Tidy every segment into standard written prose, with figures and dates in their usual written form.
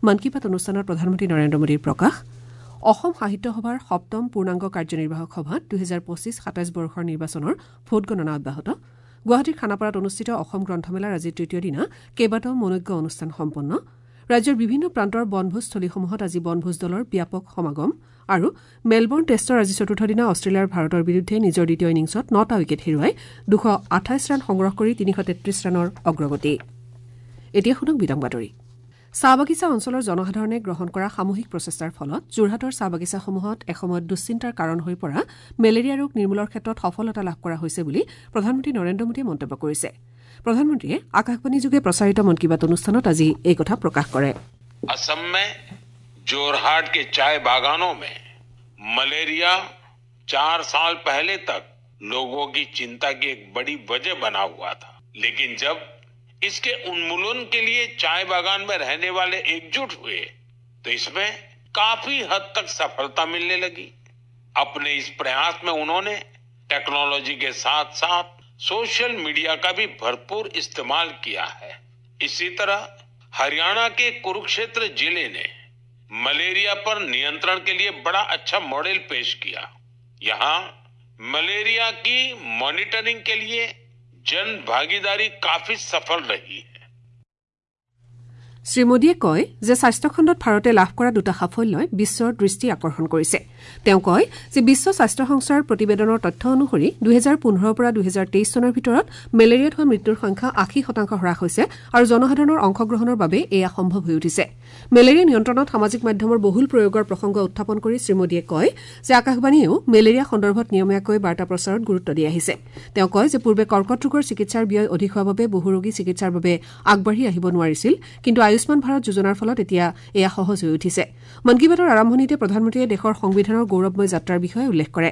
মন কী বাত অনুষ্ঠানত প্ৰধানমন্ত্ৰী নৰেন্দ্ৰ মোদীৰ প্ৰকাশ। অসম সাহিত্য সভাৰ সপ্তম পূৰ্ণাংগ কাৰ্যনিৰ্বাহক সভাত ২০২৫-২৭ বৰ্ষৰ নিৰ্বাচনৰ ভোটগণনা অব্যাহত। গুৱাহাটীৰ খানাপাৰাত অনুষ্ঠিত অসম গ্ৰন্থমেলাৰ আজি তৃতীয় দিনা কেইবাটাও মনোজ্ঞ অনুষ্ঠান সম্পন্ন। ৰাজ্যৰ বিভিন্ন প্ৰান্তৰ বনভোজস্থলীসমূহত আজি বনভোজ দলৰ ব্যাপক সমাগম। আৰু মেলবৰ্ণ টেষ্টৰ আজি চতুৰ্থ দিনা অষ্ট্ৰেলিয়াৰ ভাৰতৰ বিৰুদ্ধে নিজৰ দ্বিতীয় ইনিংছত ৯টা উইকেট হেৰুৱাই ২২৮ ৰান সংগ্ৰহ কৰি ৩৩৩ ৰানৰ অগ্ৰগতি। এতিয়া শুনক বিতং বাতৰি। চাহ বাগিচা অঞ্চলৰ জনসাধাৰণে গ্ৰহণ কৰা সামূহিক প্ৰচেষ্টাৰ ফলত যোৰহাটৰ চাহ বাগিচাসমূহত এসময়ত দুশ্চিন্তাৰ কাৰণ হৈ পৰা মেলেৰিয়া ৰোগ নিৰ্মূলৰ ক্ষেত্ৰত সফলতা লাভ কৰা হৈছে বুলি প্ৰধানমন্ত্ৰী নৰেন্দ্ৰ মোদীয়ে মন্তব্য কৰিছে। প্ৰধানমন্ত্ৰীয়ে আকাশবাণীযোগে প্ৰচাৰিত মন কী বাত অনুষ্ঠানত আজি এই কথা প্ৰকাশ কৰে। असम में जोरहाट के चाय बागानों में मलेरिया 4 साल पहले तक लोगों की चिंता की एक बड़ी वजह बना हुआ था, लेकिन जब इसके उन्मूलन के लिए चाय बागान में रहने वाले एकजुट हुए तो इसमें काफी हद तक सफलता मिलने लगी। अपने इस प्रयास में उन्होंने टेक्नोलॉजी के साथ साथ सोशल मीडिया का भी भरपूर इस्तेमाल किया है। इसी तरह हरियाणा के कुरुक्षेत्र जिले ने मलेरिया पर नियंत्रण के लिए बड़ा अच्छा मॉडल पेश किया। यहाँ मलेरिया की मॉनिटरिंग के लिए जन भागीदारी काफी सफल रही है। শ্ৰী মোদীয়ে কয় যে স্বাস্থ্যখণ্ডত ভাৰতে লাভ কৰা দুটা সাফল্যই বিশ্বৰ দৃষ্টি আকৰ্ষণ কৰিছে। তেওঁ কয় যে বিশ্ব স্বাস্থ্য সংস্থাৰ প্ৰতিবেদনৰ তথ্য অনুসৰি ২০১৫ৰ পৰা ২০২৩ চনৰ ভিতৰত মেলেৰিয়াত হোৱা মৃত্যুৰ সংখ্যা ৮০% হ্ৰাস হৈছে আৰু জনসাধাৰণৰ অংশগ্ৰহণৰ বাবে এয়া সম্ভৱ হৈ উঠিছে। মেলেৰিয়া নিয়ন্ত্ৰণত সামাজিক মাধ্যমৰ বহুল প্ৰয়োগৰ প্ৰসংগ উত্থাপন কৰি শ্ৰী মোদীয়ে কয় যে আকাশবাণীয়েও মেলেৰিয়া সন্দৰ্ভত নিয়মীয়াকৈ বাৰ্তা প্ৰচাৰত গুৰুত্ব দি আহিছে। তেওঁ কয় যে পূৰ্বে কৰ্কট ৰোগৰ চিকিৎসাৰ ব্যয় অধিক হোৱাৰ বাবে বহু ৰোগী চিকিৎসাৰ বাবে আগবাঢ়ি আহিব নোৱাৰিছিল, কিন্তু আয়ুষ্মান ভাৰত যোজনাৰ ফলত এতিয়া এয়া সহজ হৈ উঠিছে। মন কী বাতৰ আৰম্ভণিতে প্ৰধানমন্ত্ৰীয়ে দেশৰ সংবিধানৰ গৌৰৱময় যাত্ৰাৰ বিষয়ে উল্লেখ কৰে।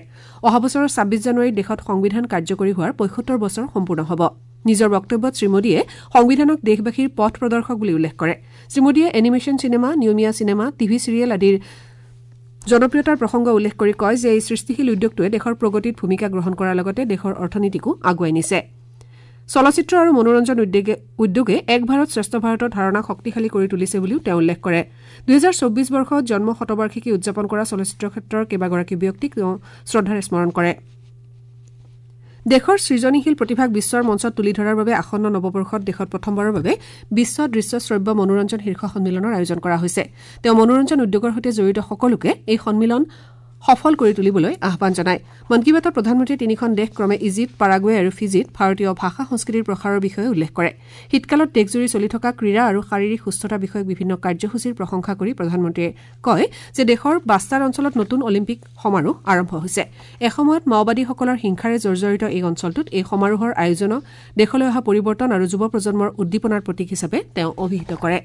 অহা বছৰৰ ২৬ জানুৱাৰীত দেশত সংবিধান কাৰ্যকৰী হোৱাৰ ৭৫ বছৰ সম্পূৰ্ণ হ'ব। নিজৰ বক্তব্যত শ্ৰীমোদীয়ে সংবিধানক দেশবাসীৰ পথ প্ৰদৰ্শক বুলি উল্লেখ কৰে। শ্ৰীমোদীয়ে এনিমেশ্যন চিনেমা, নিয়মীয়া চিনেমা, টিভি চিৰিয়েল আদিৰ জনপ্ৰিয়তাৰ প্ৰসংগ উল্লেখ কৰি কয় যে এই সৃষ্টিশীল উদ্যোগটোৱে দেশৰ প্ৰগতিত ভূমিকা গ্ৰহণ কৰাৰ লগতে দেশৰ অৰ্থনীতিকো আগুৱাই নিছে। চলচ্চিত্ৰ আৰু মনোৰঞ্জন উদ্যোগে এক ভাৰত শ্ৰেষ্ঠ ভাৰতৰ ধাৰণাক শক্তিশালী কৰি তুলিছে বুলিও তেওঁ উল্লেখ কৰে। ২০২৪ বৰ্ষত জন্ম শতবাৰ্ষিকী উদযাপন কৰা চলচ্চিত্ৰ ক্ষেত্ৰৰ কেইবাগৰাকী ব্যক্তিক তেওঁ শ্ৰদ্ধাৰে স্মৰণ কৰে। দেশৰ সৃজনীশীল প্ৰতিভাক বিশ্বৰ মঞ্চত তুলি ধৰাৰ বাবে আসন্ন নৱবৰ্ষত দেশত প্ৰথমবাৰৰ বাবে বিশ্ব দৃশ্য শ্ৰব্য মনোৰঞ্জন শীৰ্ষ সন্মিলনৰ আয়োজন কৰা হৈছে। তেওঁ মনোৰঞ্জন উদ্যোগৰ সৈতে জড়িত সকলোকে এই সন্মিলন সফল কৰি তুলিবলৈ আহ্বান জনায়। মন কী বাতত প্ৰধানমন্ত্ৰীয়ে তিনিখন দেশ ক্ৰমে ইজিপ্ত, পাৰাগুৱে আৰু ফিজিত ভাৰতীয় ভাষা সংস্কৃতিৰ প্ৰসাৰৰ বিষয়ে উল্লেখ কৰে। শীতকালত দেশজুৰি চলি থকা ক্ৰীড়া আৰু শাৰীৰিক সুস্থতা বিষয়ক বিভিন্ন কাৰ্যসূচীৰ প্ৰশংসা কৰি প্ৰধানমন্ত্ৰীয়ে কয় যে দেশৰ বাস্তাৰ অঞ্চলত নতুন অলিম্পিক সমাৰোহ আৰম্ভ হৈছে। এসময়ত মাওবাদীসকলৰ হিংসাৰে জৰ্জৰিত এই অঞ্চলটোত এই সমাৰোহৰ আয়োজনক দেশলৈ অহা পৰিৱৰ্তন আৰু যুৱ প্ৰজন্মৰ উদ্দীপনাৰ প্ৰতীক হিচাপে তেওঁ অভিহিত কৰে।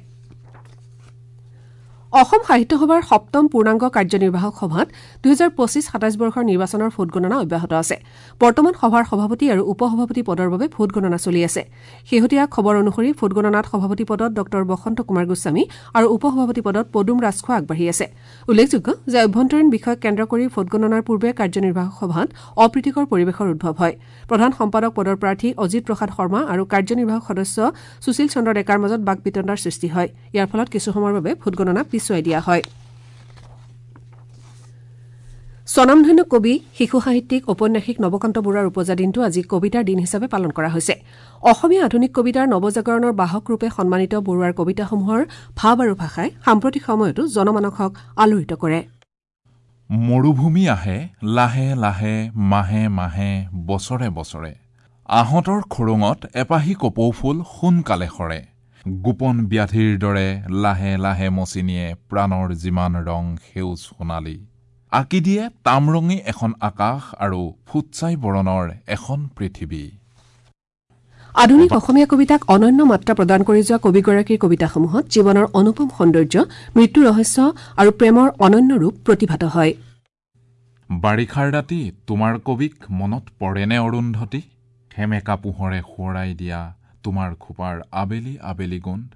অসম সাহিত্য সভাৰ সপ্তম পূৰ্ণাংগ কাৰ্যনিৰ্বাহক সভাত ২০২৫-২৭ বৰ্ষৰ নিৰ্বাচনৰ ভোটগণনা অব্যাহত আছে। বৰ্তমান সভাৰ সভাপতি আৰু উপ সভাপতি পদৰ বাবে ভোটগণনা চলি আছে। শেহতীয়া খবৰ অনুসৰি ভোটগণনাত সভাপতি পদত ডঃ বসন্ত কুমাৰ গোস্বামী আৰু উপ সভাপতি পদত পদুম ৰাজখোৱা আগবাঢ়ি আছে। উল্লেখযোগ্য যে অভ্যন্তৰীণ বিষয়ক কেন্দ্ৰ কৰি ভোটগণনাৰ পূৰ্বে কাৰ্যনিৰ্বাহক সভাত অপ্ৰীতিকৰ পৰিৱেশৰ উদ্ভৱ হয়। প্ৰধান সম্পাদক পদৰ প্ৰাৰ্থী অজিত প্ৰসাদ শৰ্মা আৰু কাৰ্যনিৰ্বাহক সদস্য সুশীল চন্দ্ৰ ডেকাৰ মাজত বাক বিতণ্ডাৰ সৃষ্টি হয়। ইয়াৰ ফলত কিছু সময়ৰ বাবে ভোটগণনা পিছুৱাই দিয়া হয়। স্বনামধন্য কবি, শিশু সাহিত্যিক, ঔপন্যাসিক নৱকান্ত বৰুৱাৰ উপজা দিনটো আজি কবিতাৰ দিন হিচাপে পালন কৰা হৈছে। অসমীয়া আধুনিক কবিতাৰ নৱজাগৰণৰ বাহক ৰূপে সন্মানিত বৰুৱাৰ কবিতাসমূহৰ ভাৱ আৰু ভাষাই সাম্প্ৰতিক সময়তো জনমানসক আলোড়িত কৰে। মৰুভূমি আহে লাহে লাহে, মাহে মাহে, বছৰে বছৰে। আহঁতৰ খোৰোঙত এপাহি কপৌফুল সোনকালে সৰে। গোপন ব্যাধিৰ দৰে লাহে লাহে মচিনিয়ে প্ৰাণৰ যিমান ৰং সেউজ সোণালী আঁকি দিয়ে তামৰঙী এখন আকাশ আৰু ফুটছাই বৰণৰ এখন পৃথিৱী। আধুনিক অসমীয়া কবিতাক অনন্য মাত্ৰা প্ৰদান কৰি যোৱা কবিগৰাকীৰ কবিতাসমূহত জীৱনৰ অনুপম সৌন্দৰ্য, মৃত্যু ৰহস্য আৰু প্ৰেমৰ অনন্য ৰূপ প্ৰতিভাত হয়। বাৰিষাৰ ৰাতি তোমাৰ কবিক মনত পৰেনে অৰুন্ধতী? সেমেকা পোহৰে সোঁৱৰাই দিয়া তোমাৰ খোপাৰ আবেলি আবেলি গোন্ধ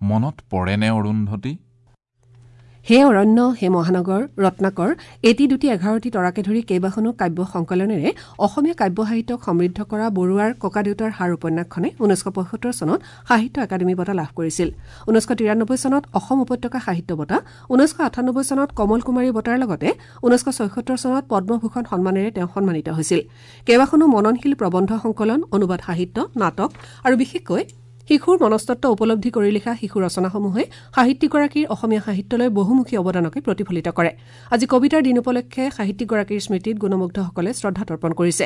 মনত পৰেনে অৰুন্ধতী? হে অৰণ্য হে মহানগৰ, ৰত্নাকৰ, এটি দুটি 11টি তৰাকে ধৰি কেইবাখনো কাব্য সংকলনেৰে অসমীয়া কাব্য সাহিত্যক সমৃদ্ধ কৰা বৰুৱাৰ ককাদেউতাৰ হাৰ উপন্যাসখনে 1975 চনত সাহিত্য একাডেমী বঁটা লাভ কৰিছিল। 1993 চনত অসম উপত্যকা সাহিত্য বঁটা, 1998 চনত কমল কুমাৰী বঁটাৰ লগতে 1976 চনত পদ্মভূষণ সন্মানেৰে তেওঁ সন্মানিত হৈছিল। কেইবাখনো মননশীল প্ৰবন্ধ সংকলন, অনুবাদ সাহিত্য, নাটক আৰু বিশেষকৈ শিশুৰ মনস্তত্ব উপলব্ধি কৰি লিখা শিশু ৰচনাসমূহে সাহিত্যিকগৰাকীৰ অসমীয়া সাহিত্যলৈ বহুমুখী অৱদানকে প্ৰতিফলিত কৰে। আজি কবিতাৰ দিন উপলক্ষে সাহিত্যিকগৰাকীৰ স্মৃতিত গুণমুগ্ধসকলে শ্ৰদ্ধা তৰ্পণ কৰিছে।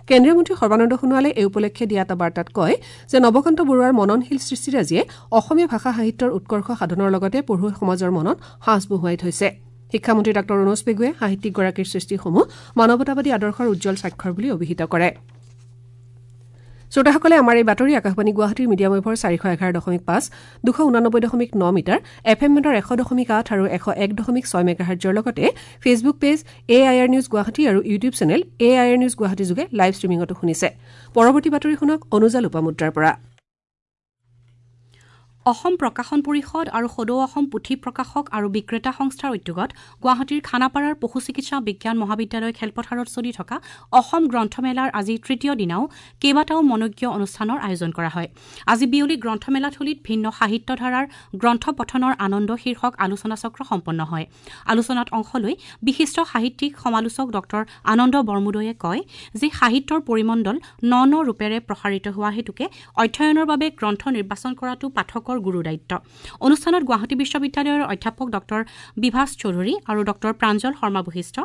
কেন্দ্ৰীয় মন্ত্ৰী সৰ্বানন্দ সোণোৱালে এই উপলক্ষে দিয়া এটা বাৰ্তাত কয় যে নৱকান্ত বৰুৱাৰ মননশীল সৃষ্টিৰাজিয়ে অসমীয়া ভাষা সাহিত্যৰ উৎকৰ্ষ সাধনৰ লগতে পঢ়ুৱৈ সমাজৰ মনত সাঁচ বহুৱাই থৈছে। শিক্ষামন্ত্ৰী ডাঃ ৰণোজ পেগুৱে সাহিত্যিকগৰাকীৰ সৃষ্টিসমূহ মানৱতাবাদী আদৰ্শৰ উজ্জ্বল স্বাক্ষৰ বুলি অভিহিত কৰে। শ্ৰোতাসকলে আমাৰ এই বাতৰি আকাশবাণী গুৱাহাটীৰ মিডিয়াম ৱেভৰ 411.5, 289.9 মিটাৰ, এফ এম বেণ্ডৰ 100.8 আৰু 101.6 মেগাহাৰ্টজৰ লগতে Facebook page AIR news Guwahati আৰু YouTube channel AIR news Guwahati যোগে লাইভ ষ্ট্ৰীমিঙতো শুনিছে। পৰৱৰ্তী বাতৰি শুনক অনুজা লোপামুদ্ৰাৰ পৰা। অসম প্ৰকাশন পৰিষদ আৰু সদৌ অসম পুথি প্ৰকাশক আৰু বিক্ৰেতা সংস্থাৰ উদ্যোগত গুৱাহাটীৰ খানাপাৰাৰ পশু চিকিৎসা বিজ্ঞান মহাবিদ্যালয় খেলপথাৰত চলি থকা অসম গ্ৰন্থমেলাৰ আজি তৃতীয় দিনাও কেইবাটাও মনোজ্ঞ অনুষ্ঠানৰ আয়োজন কৰা হয়। আজি বিয়লি গ্ৰন্থমেলাথলীত ভিন্ন সাহিত্যধাৰাৰ গ্ৰন্থ পঠনৰ আনন্দ শীৰ্ষক আলোচনাচক্ৰ সম্পন্ন হয়। আলোচনাত অংশ লৈ বিশিষ্ট সাহিত্যিক সমালোচক ডঃ আনন্দ বৰমুদৈয়ে কয় যে সাহিত্যৰ পৰিমণ্ডল ন ন ৰূপেৰে প্ৰসাৰিত হোৱা হেতুকে অধ্যয়নৰ বাবে গ্ৰন্থ নিৰ্বাচন কৰাটো পাঠকৰ গুৰু দায়িত্ব। অনুষ্ঠানত গুৱাহাটী বিশ্ববিদ্যালয়ৰ অধ্যাপক ডঃ বিভাস চৌধুৰী আৰু ডঃ প্ৰাঞ্জল শৰ্মা বশিষ্ঠ,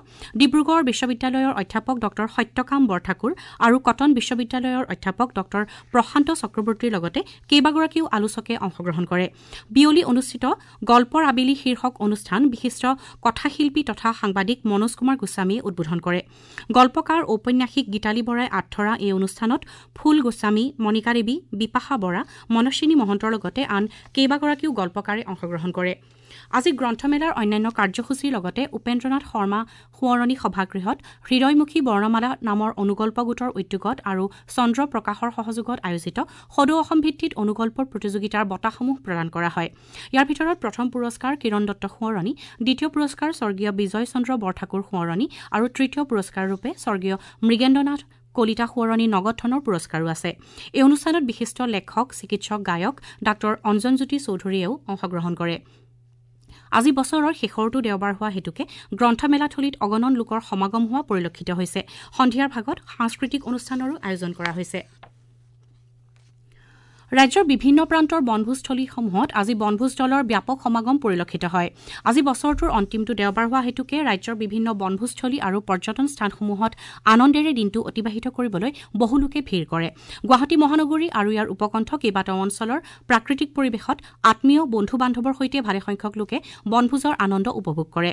ডিব্ৰুগড় বিশ্ববিদ্যালয়ৰ অধ্যাপক ডঃ সত্যকাম বৰঠাকুৰ আৰু কটন বিশ্ববিদ্যালয়ৰ অধ্যাপক ডঃ প্ৰশান্ত চক্ৰৱৰ্তীৰ লগতে কেইবাগৰাকীও আলোচকে অংশগ্ৰহণ কৰে। বিয়লি অনুষ্ঠিত গল্পৰ আবেলি শীৰ্ষক অনুষ্ঠান বিশিষ্ট কথাশিল্পী তথা সাংবাদিক মনোজ কুমাৰ গোস্বামীয়ে উদ্বোধন কৰে। গল্পকাৰ ঔপন্যাসিক গীতালী বৰাই আঁত ধৰা এই অনুষ্ঠানত ফুল গোস্বামী, মণিকা দেৱী, বিপাশা বৰা, মনস্বিনী মহন্তৰ লগতে আন কেইবাগৰাকীও গল্পকাৰে অংশগ্ৰহণ কৰে। আজি গ্ৰন্থমেলাৰ অন্যান্য কাৰ্যসূচীৰ লগতে উপেন্দ্ৰনাথ শৰ্মা সোঁৱৰণী সভাগৃহত হৃদয়মুখী বৰ্ণমালা নামৰ অনুগল্প গোটৰ উদ্যোগত আৰু চন্দ্ৰ প্ৰকাশৰ সহযোগত আয়োজিত সদৌ অসম ভিত্তিত অনুগল্পৰ প্ৰতিযোগিতাৰ বঁটাসমূহ প্ৰদান কৰা হয়। ইয়াৰ ভিতৰত প্ৰথম পুৰস্কাৰ কিৰণ দত্ত সোঁৱৰণী, দ্বিতীয় পুৰস্কাৰ স্বৰ্গীয় বিজয় চন্দ্ৰ বৰঠাকুৰ সোঁৱৰণী আৰু তৃতীয় পুৰস্কাৰৰূপে স্বৰ্গীয় মৃগেন্দ্ৰনাথ কলিতা সোঁৱৰণী নগদ ধনৰ পুৰস্কাৰো আছে। এই অনুষ্ঠানত বিশিষ্ট লেখক, চিকিৎসক, গায়ক ডাঃ অঞ্জনজ্যোতি চৌধুৰীয়েও অংশগ্ৰহণ কৰে। আজি বছৰৰ শেষৰটো দেওবাৰ হোৱা হেতুকে গ্ৰন্থমেলাথলীত অগণন লোকৰ সমাগম হোৱা পৰিলক্ষিত হৈছে। সন্ধিয়াৰ ভাগত সাংস্কৃতিক অনুষ্ঠানৰো আয়োজন কৰা হৈছে। ৰাজ্যৰ বিভিন্ন প্ৰান্তৰ বনভোজস্থলীসমূহত আজি বনভোজ দলৰ ব্যাপক সমাগম পৰিলক্ষিত হয়। আজি বছৰটোৰ অন্তিমটো দেওবাৰ হোৱা হেতুকে ৰাজ্যৰ বিভিন্ন বনভোজস্থলী আৰু পৰ্যটন স্থানসমূহত আনন্দেৰে দিনটো অতিবাহিত কৰিবলৈ বহু লোকে ভিৰ কৰে। গুৱাহাটী মহানগৰী আৰু ইয়াৰ উপকণ্ঠ কেইবাটাও অঞ্চলৰ প্ৰাকৃতিক পৰিৱেশত আত্মীয় বন্ধু বান্ধৱৰ সৈতে ভালেসংখ্যক লোকে বনভোজৰ আনন্দ উপভোগ কৰে।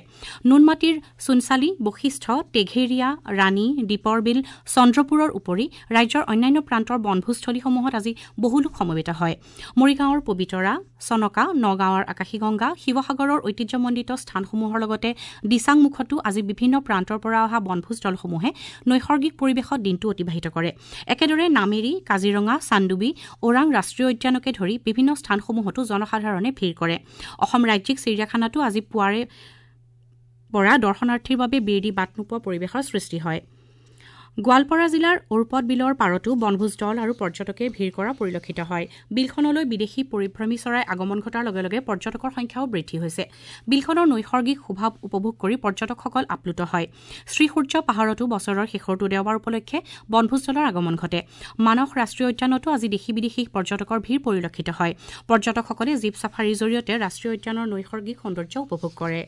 নুনমাটিৰ চুনচালি, বশিষ্ঠ, টেঘেৰিয়া, ৰাণী, দীপৰ বিল, চন্দ্ৰপুৰৰ উপৰি ৰাজ্যৰ অন্যান্য প্ৰান্তৰ বনভোজস্থলীসমূহত আজি বহু লোক সমবেত হয়। মৰিগাঁৱৰ পবিতৰা, চনকা, নগাঁৱৰ আকাশীগংগা, শিৱসাগৰৰ ঐতিহ্যমণ্ডিত স্থানসমূহৰ লগতে দিচাংমুখতো আজি বিভিন্ন প্ৰান্তৰ পৰা অহা বনভোজ দলসমূহে নৈসৰ্গিক পৰিৱেশত দিনটো অতিবাহিত কৰে। একেদৰে নামেৰী, কাজিৰঙা, চান্দুবি, ওৰাং ৰাষ্ট্ৰীয় উদ্যানকে ধৰি বিভিন্ন স্থানসমূহতো জনসাধাৰণে ভিৰ কৰে। অসম ৰাজ্যিক চিৰিয়াখানাতো আজি পুৱাৰে পৰা দৰ্শনাৰ্থীৰ বাবে বিৰ দি বাট নোপোৱা পৰিৱেশৰ সৃষ্টি হয়। গোৱালপাৰা জিলাৰ ঔৰপদ বিলৰ পাৰতো বনভোজ দল আৰু পৰ্যটকে ভিৰ কৰা পৰিলক্ষিত হয়। বিলখনলৈ বিদেশী পৰিভ্ৰমী চৰাই আগমন ঘটাৰ লগে লগে পৰ্যটকৰ সংখ্যাও বৃদ্ধি হৈছে। বিলখনৰ নৈসৰ্গিক শোভা উপভোগ কৰি পৰ্যটকসকল আপ্লুত হয়। শ্ৰীসূৰ্য পাহাৰতো বছৰৰ শেষৰটো দেওবাৰ উপলক্ষে বনভোজ দলৰ আগমন ঘটে। মানস ৰাষ্ট্ৰীয় উদ্যানতো আজি দেশী বিদেশী পৰ্যটকৰ ভিৰ পৰিলক্ষিত হয়। পৰ্যটকসকলে জীপ ছাফাৰীৰ জৰিয়তে ৰাষ্ট্ৰীয় উদ্যানৰ নৈসৰ্গিক সৌন্দৰ্য উপভোগ কৰে।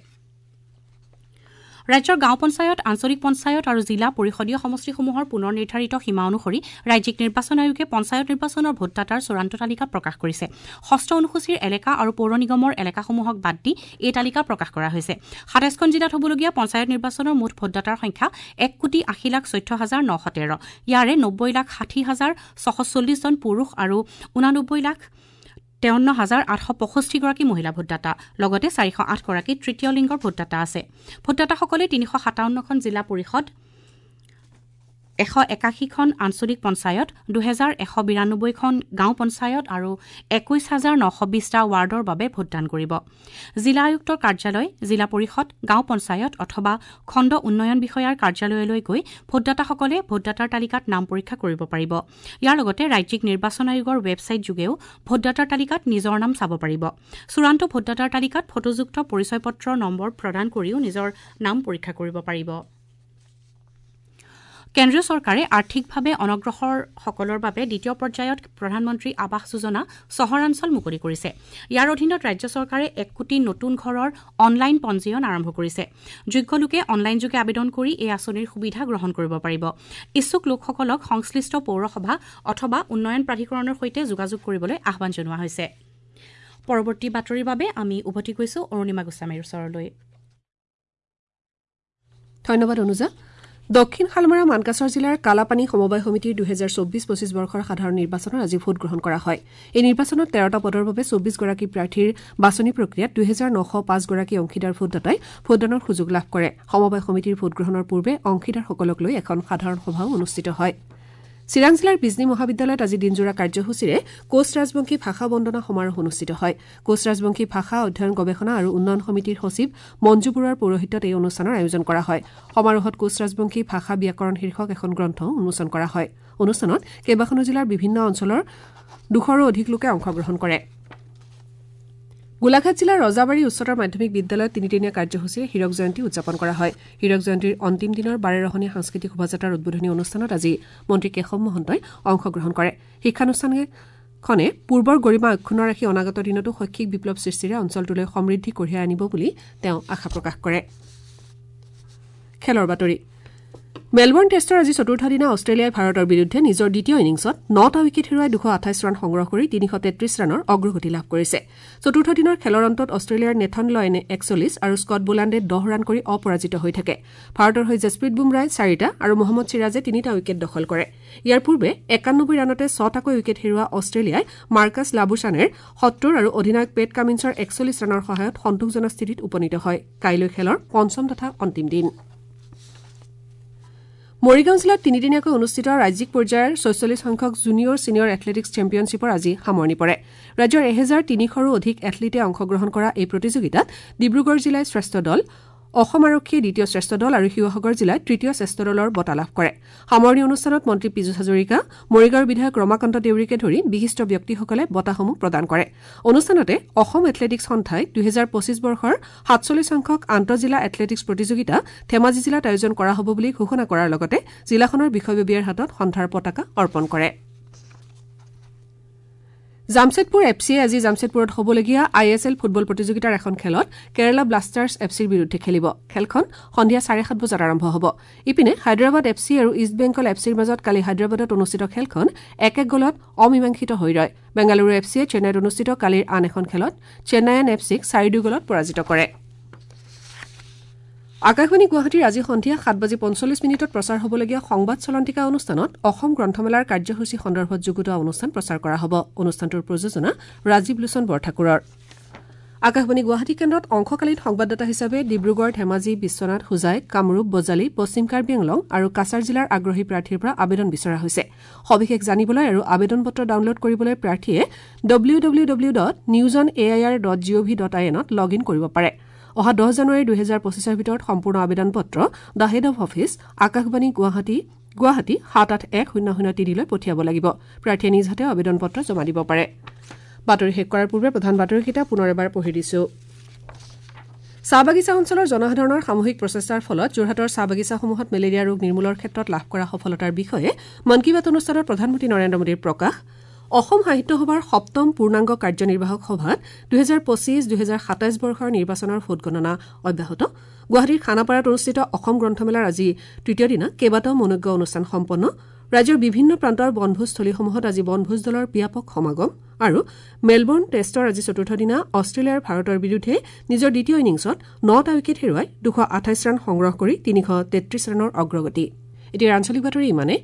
ৰাজ্যৰ গাঁও পঞ্চায়ত, আঞ্চলিক পঞ্চায়ত আৰু জিলা পৰিষদীয় সমষ্টিসমূহৰ পুনৰ নিৰ্ধাৰিত সীমা অনুসৰি ৰাজ্যিক নিৰ্বাচন আয়োগে পঞ্চায়ত নিৰ্বাচনৰ ভোটদাতাৰ চূড়ান্ত তালিকা প্ৰকাশ কৰিছে। ষষ্ঠ অনুসূচীৰ এলেকা আৰু পৌৰ নিগমৰ এলেকাসমূহক বাদ দি এই তালিকা প্ৰকাশ কৰা হৈছে। ২৭খন জিলাত হ'বলগীয়া পঞ্চায়ত নিৰ্বাচনৰ মুঠ ভোটদাতাৰ সংখ্যা ১,৮০,১৪,৯১৩। ইয়াৰে ৯০,৬০,৬৪০ জন পুৰুষ আৰু ৮৯,৫৩,৮৬৫ গৰাকী মহিলা ভোটদাতা, লগতে ৪০৮ গৰাকী তৃতীয় লিংগৰ ভোটদাতা আছে। ভোটদাতাসকলে ৩৫৭খন জিলা পৰিষদ, 181খন আঞ্চলিক পঞ্চায়ত, 2192খন গাঁও পঞ্চায়ত আৰু 21920টা ৱাৰ্ডৰ বাবে ভোটদান কৰিব। জিলা আয়ুক্তৰ কাৰ্যালয়, জিলা পৰিষদ, গাঁও পঞ্চায়ত অথবা খণ্ড উন্নয়ন বিষয়াৰ কাৰ্যালয়লৈ গৈ ভোটদাতাসকলে ভোটদাতাৰ তালিকাত নাম পৰীক্ষা কৰিব পাৰিব। ইয়াৰ লগতে ৰাজ্যিক নিৰ্বাচন আয়োগৰ ৱেবছাইট যোগেও ভোটদাতাৰ তালিকাত নিজৰ নাম চাব পাৰিব। চূড়ান্ত ভোটদাতাৰ তালিকাত ফটোযুক্ত পৰিচয় পত্ৰৰ নম্বৰ প্ৰদান কৰিও নিজৰ নাম পৰীক্ষা কৰিব পাৰিব। কেন্দ্ৰীয় চৰকাৰে আৰ্থিকভাৱে অনগ্ৰসৰসকলৰ বাবে দ্বিতীয় পৰ্যায়ত প্ৰধানমন্ত্ৰী আৱাস যোজনা চহৰাঞ্চল মুকলি কৰিছে। ইয়াৰ অধীনত ৰাজ্য চৰকাৰে 1 কোটি নতুন ঘৰৰ অনলাইন পঞ্জীয়ন আৰম্ভ কৰিছে। যোগ্য লোকে অনলাইনযোগে আবেদন কৰি এই আঁচনিৰ সুবিধা গ্ৰহণ কৰিব পাৰিব। ইচ্ছুক লোকসকলক সংশ্লিষ্ট পৌৰসভা অথবা উন্নয়ন প্ৰাধিকৰণৰ সৈতে যোগাযোগ কৰিবলৈ আহ্বান জনোৱা হৈছে। পৰৱৰ্তী বাতৰিৰ বাবে আমি উভতি গৈছো অৰুণিমা গোস্বামীৰ ওচৰলৈ। ধন্যবাদ অনুজা। দক্ষিণ শালমাৰা মানকাছৰ জিলাৰ কালাপানী সমবায় সমিতিৰ 2024-25 বৰ্ষৰ সাধাৰণ নিৰ্বাচনৰ আজি ভোটগ্ৰহণ কৰা হয়। এই নিৰ্বাচনত 13টা পদৰ বাবে 24গৰাকী প্ৰাৰ্থীৰ বাছনি প্ৰক্ৰিয়াত 2905গৰাকী অংশীদাৰ ভোটদাতাই ভোটদানৰ সুযোগ লাভ কৰে। সমবায় সমিতিৰ ভোটগ্ৰহণৰ পূৰ্বে অংশীদাৰসকলক লৈ এখন সাধাৰণ সভাও অনুষ্ঠিত হয়। চিৰাং জিলাৰ বিজনী মহাবিদ্যালয়ত আজি দিনজোৰা কাৰ্যসূচীৰে কোচ ৰাজবংশী ভাষা বন্দনা সমাৰোহ অনুষ্ঠিত হয়। কোচ ৰাজবংশী ভাষা অধ্যয়ন গৱেষণা আৰু উন্নয়ন সমিতিৰ সচিব মঞ্জু বৰুৱাৰ পৌৰোহিত্যত এই অনুষ্ঠানৰ আয়োজন কৰা হয়। সমাৰোহত কোচ ৰাজবংশী ভাষা ব্যাকৰণ শীৰ্ষক এখন গ্ৰন্থ উন্মোচন কৰা হয়। অনুষ্ঠানত কেইবাখনো জিলাৰ বিভিন্ন অঞ্চলৰ 200ৰো অধিক লোকে অংশগ্ৰহণ কৰে। গোলাঘাট জিলাৰ ৰজাবাৰী উচ্চতৰ মাধ্যমিক বিদ্যালয়ত তিনিদিনীয়া কাৰ্যসূচীৰে হীৰক জয়ন্তী উদযাপন কৰা হয়। হীৰক জয়ন্তীৰ অন্তিম দিনৰ বাৰেৰহণীয়া সাংস্কৃতিক শোভাযাত্ৰাৰ উদ্বোধনী অনুষ্ঠানত আজি মন্ত্ৰী কেশৱ মহন্তই অংশগ্ৰহণ কৰে। শিক্ষানুষ্ঠানখনে পূৰ্বৰ গৰিমা অক্ষুণ্ণ ৰাখি অনাগত দিনতো শৈক্ষিক বিপ্লৱ সৃষ্টিৰে অঞ্চলটোলৈ সমৃদ্ধি কঢ়িয়াই আনিব বুলি তেওঁ আশা প্ৰকাশ কৰে। খেলৰ বাতৰি। মেলবৰ্ণ টেষ্টৰ আজি চতুৰ্থ দিনা অষ্ট্ৰেলিয়াই ভাৰতৰ বিৰুদ্ধে নিজৰ দ্বিতীয় ইনিংছত 9টা উইকেট হেৰুৱাই 228 ৰান সংগ্ৰহ কৰি 333 ৰানৰ অগ্ৰগতি লাভ কৰিছে। চতুৰ্থ দিনৰ খেলৰ অন্তত অষ্ট্ৰেলিয়াৰ নেথন লয়নে 41 আৰু স্কট বোলাণ্ডে 10 ৰান কৰি অপৰাজিত হৈ থাকে। ভাৰতৰ হৈ জছপ্ৰীত বুমৰাহই 4টা আৰু মহম্মদ চিৰাজে 3টা উইকেট দখল কৰে। ইয়াৰ পূৰ্বে 91 ৰানতে 6টাকৈ উইকেট হেৰুওৱা অষ্ট্ৰেলিয়াই মাৰ্কাছ লাবুছানেৰ 70 আৰু অধিনায়ক পেট কামিন্সৰ 41 ৰানৰ সহায়ত সন্তোষজনক স্থিতিত উপনীত হয়। কাইলৈ খেলৰ পঞ্চম তথা অন্তিম দিন। মৰিগাঁও জিলাত তিনিদিনীয়াকৈ অনুষ্ঠিত ৰাজ্যিক পৰ্যায়ৰ 46 সংখ্যক জুনিয়ৰ ছিনিয়ৰ এথলেটিকছ চেম্পিয়নশ্বিপৰ আজি সামৰণি পৰে। ৰাজ্যৰ 1300ৰো অধিক এথলীটে অংশগ্ৰহণ কৰা এই প্ৰতিযোগিতাত ডিব্ৰুগড় জিলাই শ্ৰেষ্ঠ দল, অসম আৰক্ষীয়ে দ্বিতীয় শ্ৰেষ্ঠ দল আৰু শিৱসাগৰ জিলাই তৃতীয় শ্ৰেষ্ঠ দলৰ বঁটা লাভ কৰে। সামৰণি অনুষ্ঠানত মন্ত্ৰী পীযুষ হাজৰিকা, মৰিগাঁৱৰ বিধায়ক ৰমাকান্ত দেউৰীকে ধৰি বিশিষ্ট ব্যক্তিসকলে বঁটাসমূহ প্ৰদান কৰে। অনুষ্ঠানতে অসম এথলেটিকছ সন্থাই 2025 বৰ্ষৰ 47 সংখ্যক আন্তঃজিলা এথলেটিকছ প্ৰতিযোগিতা ধেমাজি জিলাত আয়োজন কৰা হ'ব বুলি ঘোষণা কৰাৰ লগতে জিলাখনৰ বিষয়ববীয়াৰ হাতত সন্থাৰ পতাকা অৰ্পণ কৰে। জামছেদপুৰ এফ চিয়ে আজি জামছেদপুৰত হ'বলগীয়া I S L football প্ৰতিযোগিতাৰ এখন খেলত কেৰালা ব্লাষ্টাৰ্ছ এফ চিৰ বিৰুদ্ধে খেলিব। খেলখন সন্ধিয়া 7:30 বজাত আৰম্ভ হ'ব। ইপিনে হায়দৰাবাদ এফ চি আৰু ইষ্ট বেংগল এফ চিৰ মাজত কালি হায়দৰাবাদত অনুষ্ঠিত খেলখন 1-1 গ'লত অমীমাংসিত হৈ ৰয়। বেংগালুৰু এফ চিয়ে চেন্নাইত অনুষ্ঠিত কালিৰ আন এখন খেলত চেন্নাইয়ান এফ চিক 4-2 গ'লত পৰাজিত কৰে। আকাশবাণী গুৱাহাটীৰ আজি সন্ধিয়া 7:45 প্ৰচাৰ হ'বলগীয়া সংবাদ চলন্তিকা অনুষ্ঠানত অসম গ্ৰন্থমেলাৰ কাৰ্যসূচী সন্দৰ্ভত যুগুতোৱা অনুষ্ঠান প্ৰচাৰ কৰা হ'ব। অনুষ্ঠানটোৰ প্ৰযোজনা ৰাজীৱ লোচন বৰঠাকুৰৰ। আকাশবাণী গুৱাহাটী কেন্দ্ৰত অংশকালীন সংবাদদাতা হিচাপে ডিব্ৰুগড়, ধেমাজি, বিশ্বনাথ, হোজাই, কামৰূপ, বজালী, পশ্চিম কাৰ্বি আংলং আৰু কাছাৰ জিলাৰ আগ্ৰহী প্ৰাৰ্থীৰ পৰা আবেদন বিচৰা হৈছে। সবিশেষ জানিবলৈ আৰু আবেদন পত্ৰ ডাউনলোড কৰিবলৈ প্ৰাৰ্থীয়ে www.newsonair.gov.in ত লগ ইন কৰিব পাৰে। অহা 10 জানুৱাৰী 2025ৰ ভিতৰত সম্পূৰ্ণ আবেদন পত্ৰ the head of office, Akashvani Guwahati, Guwahati 781003লৈ পঠিয়াব লাগিব। প্ৰাৰ্থীয়ে নিজ হাতেও আবেদন পত্ৰ জমা দিব পাৰে। বাতৰি শেষ কৰাৰ পূৰ্বে প্ৰধান বাতৰিকেইটা পুনৰ এবাৰ পঢ়ি দিছো। চাহ বাগিচা অঞ্চলৰ জনসাধাৰণৰ সামূহিক প্ৰচেষ্টাৰ ফলত যোৰহাটৰ চাহ বাগিচাসমূহত মেলেৰিয়া ৰোগ নিৰ্মূলৰ ক্ষেত্ৰত লাভ কৰা সফলতাৰ বিষয়ে মন কী বাত অনুষ্ঠানত প্ৰধানমন্ত্ৰী নৰেন্দ্ৰ মোদীৰ প্ৰকাশ। অসম সাহিত্য সভাৰ সপ্তম পূৰ্ণাংগ কাৰ্যনিৰ্বাহক সভাত 2025-2027 বৰ্ষৰ নিৰ্বাচনৰ ভোটগণনা অব্যাহত। গুৱাহাটীৰ খানাপাৰাত অনুষ্ঠিত অসম গ্ৰন্থমেলাৰ আজি তৃতীয় দিনা কেইবাটাও মনোজ্ঞ অনুষ্ঠান সম্পন্ন। ৰাজ্যৰ বিভিন্ন প্ৰান্তৰ বনভোজস্থলীসমূহত আজি বনভোজ দলৰ ব্যাপক সমাগম। আৰু মেলবৰ্ণ টেষ্টৰ আজি চতুৰ্থ দিনা অষ্ট্ৰেলিয়াৰ ভাৰতৰ বিৰুদ্ধে নিজৰ দ্বিতীয় ইনিংছত 9টা উইকেট হেৰুৱাই 228 ৰান সংগ্ৰহ কৰি 333 ৰানৰ অগ্ৰগতি। এতিয়া আঞ্চলিক বাতৰি ইমানে।